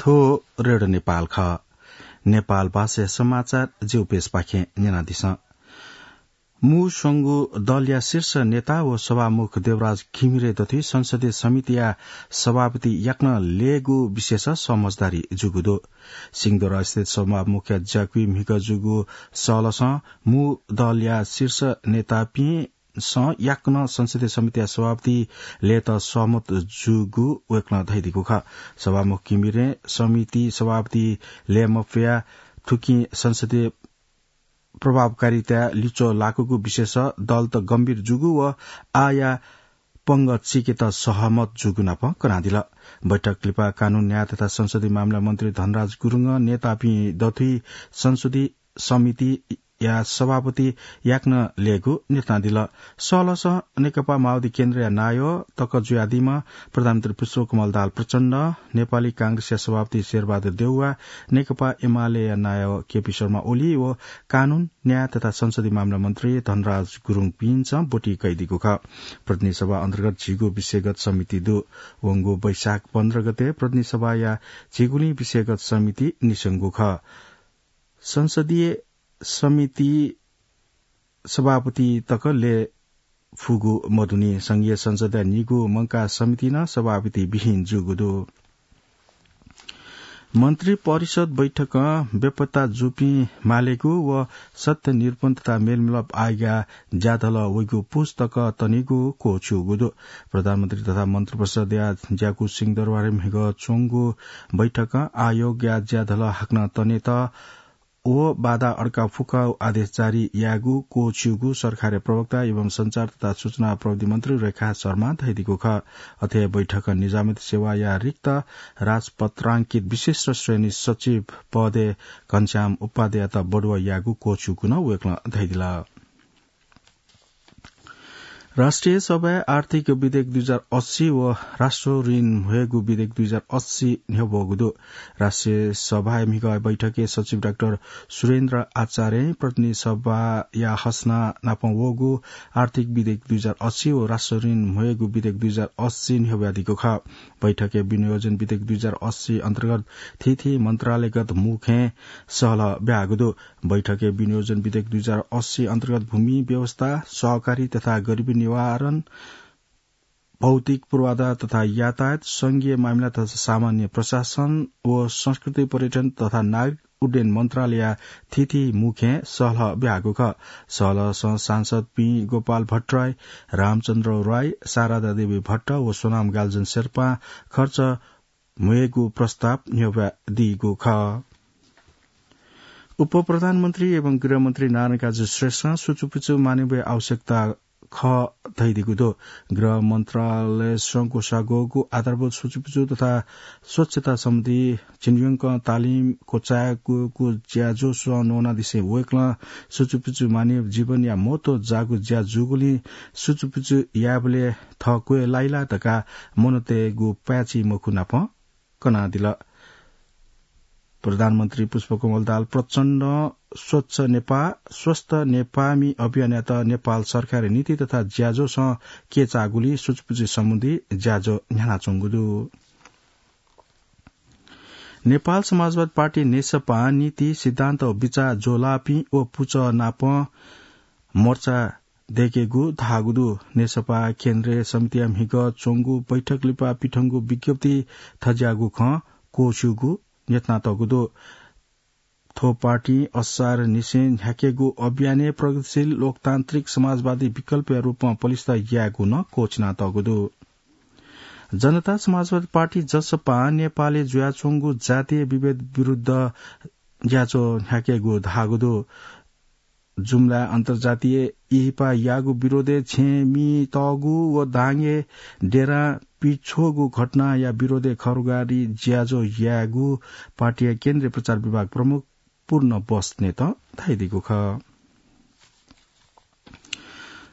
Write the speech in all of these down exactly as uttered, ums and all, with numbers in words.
थ्व रेडियो नेपाल खः। नेपाल भाषा समाचार जिगु पेजपाखें न्यनादिसँ। मू स्वंगू दलया शीर्ष नेता व सभामुख देवराज घिमिरे दथुइ संसदीय समितिया सभापति याकनं लयेगु विषयस समझदारी जूगु दु। सिंहदरबार स्थित सभामुखया ज्याकुइ म्हिगः जूगु सहलसं मू दलया शीर्ष नेतापिं सं याकनं संसदीय समितिया सभापति लयेत सहमत जूगु वय्कलं धयादीगु खः। सभामुख घिमिरें समिति सभापति लये मफया थुकिं संसदीय प्रभावकारिता लिच्वः लाकूगु विषयस दलत गम्भीर जूगु व आःया पंगः चीकेत सहमत जूगु नाप कनादिल। बैठक लिपा कानून, न्याय तथा संसदीय मामिला मन्त्री धनराज गुरुङं नेतापिं दथुइ संसदीय समितिया सभापति याकनं लयेगु न्यनादिल। सहलसं नेकपा माओवादी केन्द्रया नायः तक जुयादीम्ह प्रधानमन्त्री पुष्पकमल दाहाल प्रचण्ड, नेपाली कांग्रेसया सभापति शेरबहादुर देउवा, नेकपा एमालेया नायः केपी शर्मा ओली व कानून, न्याय तथा संसदीय मामिला मन्त्री धनराज गुरुङपिन्सं ब्वति कयादीगु खः। प्रतिनिधि सभा अन्तर्गत झिगू विषयगत समिति दु। वंगु वैशाख पन्ध्र गते प्रतिनिधि सभाया झिगुलिं विषयगत समिति निस्वंगु खः। संसदीय समिति सभापति तक लये फुगु मदुनि। संघीय संसदया निगू मंकाः समिति नं सभापति विहीन जूगु दु। मन्त्री परिषद बैठकं बेपत्ता जूपिं मालेगु व सत्य निरूपण तथा मेलमिलाप आयोगया ज्याधलः वइगु पुस्तक तनेगु क्वःछिउगु दु। प्रधानमन्त्री तथा मन्त्री परिषदया ज्याकू सिंहदरबारय् म्हिगः च्वंगु बैठकं आयोगया ज्याधलः हाकनं तनेत व बाधा अड्का फुक्क आदेश जारी यायेगु क्वःछिउगु सरकारया प्रवक्ता एवं सञ्चार तथा सूचना प्रविधि मन्त्री रेखा शर्मां धयादीगु खः। अथे बैठकं निजामती सेवाया रिक्त राजपत्रांकित विशिष्ट श्रेणी सचिव पदय् घनश्याम उपाध्याययात बढुवा यायेगु क्वःछिउगु नं वय्कलं धयादिल। राष्ट्रिय सभाय् आर्थिक विधेयक दुई हजार अस्सी व राष्ट्र ऋण म्ह्वयेगु विधेयक दुई हजार अस्सी न्ह्यब्वःगु दु। राष्ट्रिय सभाय् म्हिगः बैठकय् सचिव डाक्टर सुरेन्द्र आचार्यं प्रतिनिधि सभाया हसना नाप वःगु आर्थिक विधेयक दुई हजार अस्सी व राष्ट्र ऋण म्ह्वयेगु विधेयक दुई हजार अस्सी न्ह्यब्वयादीगु खः। बैठकय् विनियोजन विधेयक दुई हजार अस्सी अन्तर्गत थीथी मन्त्रालयगत मू खँय् सहलह ब्याहागु दु। बैठकय् विनियोजन विधेयक दुई हजार अस्सी अन्तर्गत भूमि व्यवस्था, सहकारी तथा गरिबी निवारण, भौतिक पूर्वाधार तथा यातायात, संघीय मामिला तथा सामान्य प्रशासन व संस्कृति पर्यटन तथा नागरिक उड्डयन मन्त्रालयया थीथी मू खँय् सहलह ब्याहागु खः। सहलहसं सांसदपिं गोपाल भट्टराई, रामचन्द्र राई, शारदा देवी भट्ट व सोनाम गाल्जन शेर्पां खर्च म्ह्वयेगु प्रस्ताव न्ह्यब्वयादीगु खः। उपप्रधानमन्त्री एवं गृहमन्त्री नारायणकाजी श्रेष्ठं सुचुपुचु मानेबया आवश्यकता खः धयादीगु दु। गृह मन्त्रालयं स्वंगू सागोगु आधारभूत सुचुपुचु तथा स्वच्छता सम्बन्धी झिंन्यंक तालिम क्वचायेगु ज्याझ्वः न्वनादिसें वय्कलं सुचुपुचु मानेब जीवनया महत्व जाःगु ज्या जूगुलिं सुचुपुचु यायेबलय् थः क्वय् लाइ ला धकाः मनूतय्गु पाय्छि मखु नाप कनादिल। प्रधानमन्त्री पुष्पकमल दाहाल प्रचण्डं स्वच्छ नेपाः, स्वस्थ नेपाःमि अभियानयात नेपाल सरकारया नीति तथा ज्याझ्वःसं केचाःगुलिं सुचुपुचु सम्बन्धी ज्याझ्वः न्ह्यानाच्वंगु दु। नेपाल समाजवादी पार्टी नेसपां नीति, सिद्धान्त व बिचाः ज्वःलाःपिं व पुचः नाप मोर्चा दय्केगु धाःगु दु। नेसपा केन्द्रीय समितिया म्हिगः च्वंगु बैठक लिपा पिथंगु विज्ञप्ति थज्याःगु खँ क्वःछिउगु न्ह्यथनातःगु दु। थ्व पार्टीं असार निसें न्ह्याकेगु अभियानय् प्रगतिशील लोकतान्त्रिक समाजवादी विकल्पया रूपमा पलिस्था यायेगु नं क्वःछिनातःगु दु। जनता समाजवादी पार्टी जसपां नेपालय् जुयाच्वंगु जातीय विभेद विरुद्ध ज्याझ्वः न्ह्याकेगु धाःगु दु। जुम्ला अन्तर्जातीय इहिपा याःगु विरोधय् छेँमि तःगु व दाङय् डेरां पिछ्वःगु घटनाया विरोधय् खँग्वःगु ज्याझ्वः यायेगु पार्टीया केन्द्रीय प्रचार विभाग प्रमुख पूर्ण बस्नेतं धयादीगु खः।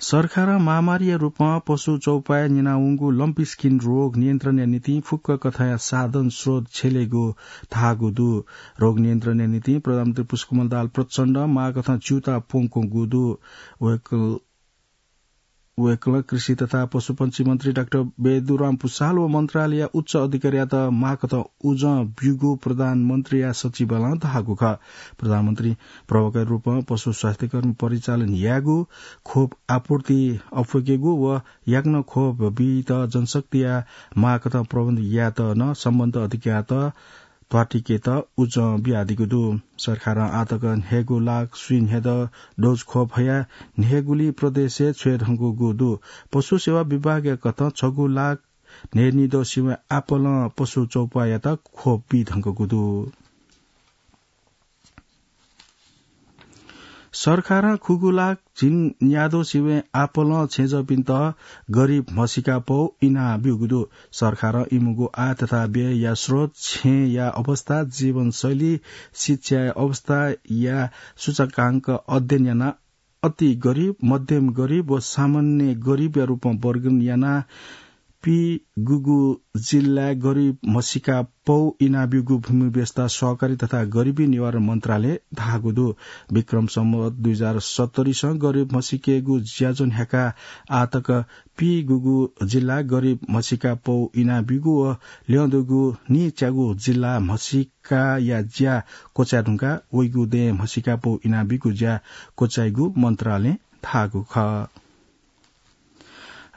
सरकारं महामारीया रूपमा पशु चौपाय् न्यनावंगु लम्पी स्किन रोग नियन्त्रणया निंतिं फुक्क कथंया साधन स्रोत छ्यलेगु धाःगु दु। रोग नियन्त्रणया निंतिं प्रधानमन्त्री पुष्पकमल दाहाल प्रचण्ड माःकथं च्यूताः प्वंकूगु दु। वय्कलं वय्कलं कृषि तथा पशुपंक्षी मन्त्री डाक्टर बेदुराम पुसाल व मन्त्रालयया उच्च अधिकारीयात माःकथं उजं ब्यूगु प्रधानमन्त्रीया सचिवालयं धाःगु खः। प्रधानमन्त्री प्रवक्ताया रूपं पशु स्वास्थ्य कर्मी परिचालन यायेगु, खोप आपूर्ति अप्वय्केगु व याकनं खोप बीत जनशक्तिया माःकथं प्रबन्ध यायेत नं सम्बन्धित अधिकारीयात त्वातिकेत उजं बियादीगु दु। सरकारं आःतक न्हय्गू लाख स्वीन्हय्दँ डोज खोप हयाः न्हय्गुलि प्रदेशय् छ्वये धुंकूगु दु। पशु सेवा विभागया कथं छगू लाख न्हय्निद्वः सिबें आपालं पशु चौपायात खोप बी धुंकूगु दु। सरकारं खुगू लाख झिंन्याद्वः सिबें आपालं छेँजःपिन्त गरिब म्हसीका पौ इनाः ब्यूगु दु। सरकारं इमिगु आय तथा व्ययया स्रोत, छेँया अवस्था, जीवनशैली, शिक्षाया अवस्थाया सूचकांक अध्ययन यानाः अति गरिब, मध्यम गरिब व सामान्य गरिबया रूपमा वर्गीकरण यानाः पीगूगू जिल्लाय् गरिब म्हसीका पौ इनाब्यूगु भूमि व्यवस्था, सहकारी तथा गरिबी निवारण मन्त्रालयं धाःगु दु। विक्रम सम्वत दुई हजार सत्तरीसं गरिब म्हसीकायेगु ज्याझ्वः न्ह्याकाः आःतक पीगूगू जिल्लाय् गरिब म्हसीका पौ इनाब्यूगु व ल्यंदुगु नीच्यागू जिल्लाय् म्हसीकाया ज्या क्वचाये धुंकाः वइगु दँय् म्हसीका पौ इनाब्यूगु ज्या क्वचाइगु मन्त्रालयं धाःगु खः।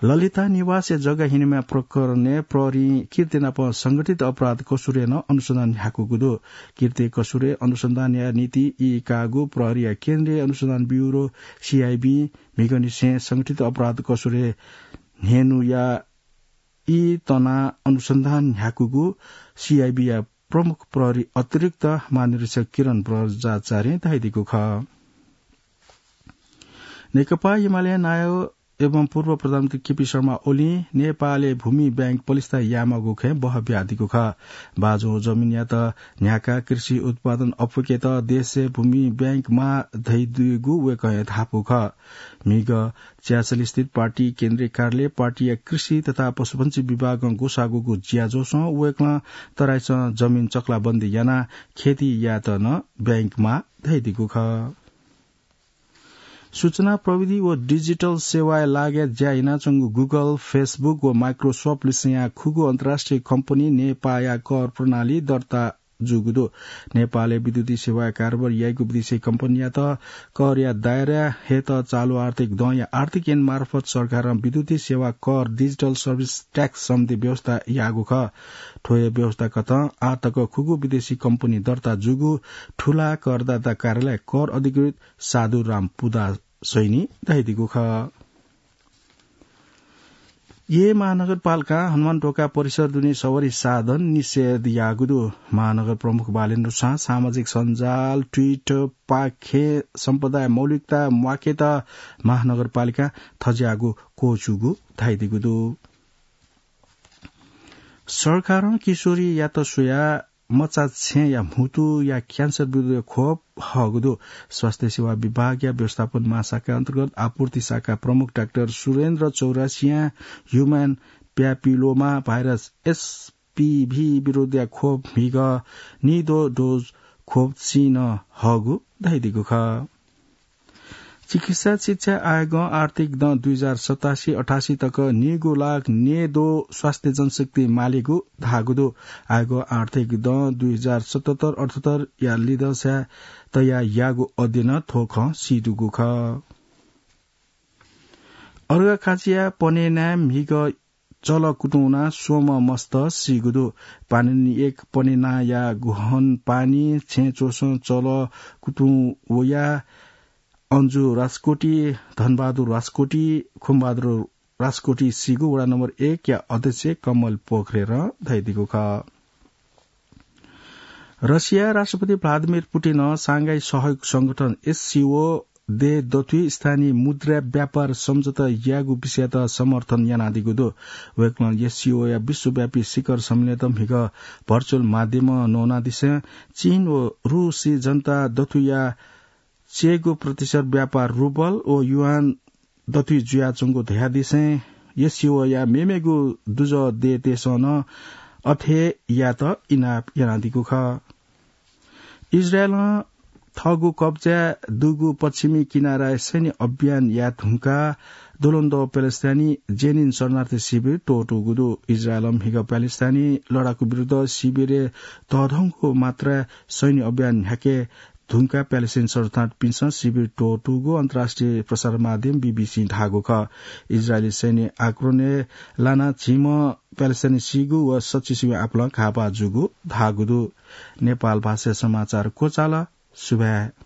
ललिता निवासया जग्गा हिनेमाःगु प्रकरणय् प्रहरीं किर्ति नाप संगठित अपराध कसुरय् नं अनुसन्धान न्ह्याकूगु दु। किर्ति कसुरय् अनुसन्धानया निंतिं ई काःगु प्रहरीया केन्द्रीय अनुसन्धान ब्यूरो, सीआईबी, म्हिगःनिसें संगठित अपराध कसुरय् न्हय्नुया ई तनाः अनुसन्धान न्ह्याकूगु सीआईबीया प्रमुख प्रहरी अतिरिक्त महानिरीक्षक किरण बज्राचार्यं धयादीगु खः। नेकपा एमाले नायः एवं पूर्व प्रधानमन्त्री केपी शर्मा ओलीं नेपालय् भूमि बैंक पलिस्था यायेमाःगु खँय् बहः बियादीगु खः। बाँझो जमिनयात न्ह्याकाः कृषि उत्पादन अप्वय्केत देशय् भूमि बैंक माः धयादीगु वय्कःया धापू खः। म्हिगः च्यासली स्थित पार्टी केन्द्रीय कार्यालयय् पार्टीया कृषि तथा पशुपंक्षी विभागं ग्वसाःगु ज्याझ्वलय् वय्कलं तराईसं जमिन चकलाबन्दी यानाः खेती यायेत नं बैंक माः धयादीगु खः। सूचना प्रविधि व डिजिटल सेवाया लागिं ज्या यानाच्वंगु Google, Facebook व Microsoft लिसेंया खुगू अन्तर्राष्ट्रिय कम्पनीं नेपाःया कर प्रणाली दर्ता जूगु दु। नेपालय् विद्युतीय सेवाया कारोबार याइगु विदेशी कम्पनीयात करया दायराय् हयेत चालु आर्थिक दँया आर्थिक ऐन मार्फत सरकारं विद्युतीय सेवा कर, digital service tax सम्बन्धी व्यवस्था याःगु खः। थ्व हे व्यवस्था कथं आःतक खुगू विदेशी कम्पनी दर्ता जूगु ठूला करदाता कार्यालय कर अधिकृत साधुराम पुदासैनीं धयादीगु खः। येँ महानगरपालिकां हनुमानढोका परिसर दुने सवारी साधन निषेध याःगु दु। महानगर प्रमुख बालेन्द्र सां सामाजिक सञ्जाल, Twitter पाखें सम्पदाया मौलिकता म्वाकेत महानगरपालिकां थज्याःगु क्वःछूगु धयादीगु दु। सरकारं किशोरीयात स्वयाः मचा छेँया म्हुतुया क्यान्सर विरुद्धया खोप हःगु दु। स्वास्थ्य सेवा विभागया व्यवस्थापन महाशाखा अन्तर्गत आपूर्ति शाखा प्रमुख डाक्टर सुरेन्द्र चौरसियां human papilloma virus, HPV विरुद्धया खोप म्हिगः निद्वः डोज खोप चिं नं हःगु धयादीगु खः। चिकित्सा शिक्षा आयोगं आर्थिक दँ दुई हजार सतासी अठासी तक नीगू लाख नीद्वः स्वास्थ्य जनशक्ति मालेगु धाःगु दु। आयोगं आर्थिक दँ दुई हजार सतहत्तर अठहत्तरया लिधंसाय् तयाः याःगु अध्ययनं थ्व खँ सीदुगु खः। अर्घाखाँचिया पनेनाय् म्हिगः चलः कुतुं वनाः स्वम्ह मस्त सीगु दु। पाणिनि एक पनेनाया गुहन पानी छेँ च्वसं चलः कुतुं वयाः अन्जु राजकोटी, धनबहादुर राजकोटी, खुमबहादुर राजकोटी सीगु वडा नम्बर एकया अध्यक्ष कमल पोखरेलं धयादीगु खः। रसिया राष्ट्रपति भ्लादिमिर पुटिनं सांघाई सहयोग संगठन, एससिओ, देय् दथुइ स्थानीय मुद्राय् व्यापार सम्झौता यायेगु विषययात समर्थन यानादीगु दु। वय्कलं एससिओया विश्वव्यापी शिखर सम्मेलनयात म्हिगः virtual माध्यमं नवानादिसें चीन व रूसी जनता दथुइया चय्गू प्रतिशत व्यापार रुबल व युआन दथुइ जुयाच्वंगु धयादिसें एससिओया मेमेगु दुजः देय्‌तय्सं नं अथे यायेत इनाप यानादीगु खः। इजरायलं थःगु कब्जाय् दुगु पश्चिमी किनाराय् सैन्य अभियान याये धुंकाः दुलुन्द प्यालेस्ताइनी जेनिन शरणार्थी शिविर त्वःतूगु दु। इजरायलं म्हिगः प्यालेस्ताइनी लडाकु विरुद्ध शिविरय् तःधंगु मात्राय् सैन्य अभियान न्ह्याके धुंकाः प्यालेस्ताइनी शरणार्थीपिन्सं शिविर त्वःतूगु अन्तर्राष्ट्रिय प्रसार माध्यम बीबीसीं धाःगु खः। इजरायली सैन्य आक्रमणय् लानाः झिम्ह प्यालेस्ताइनी सीगु व सच्चिस म्ये आपालं घाःपाः जूगु धाःगु दु। नेपाल भाषाय् समाचार क्वचाल। सुभाय्।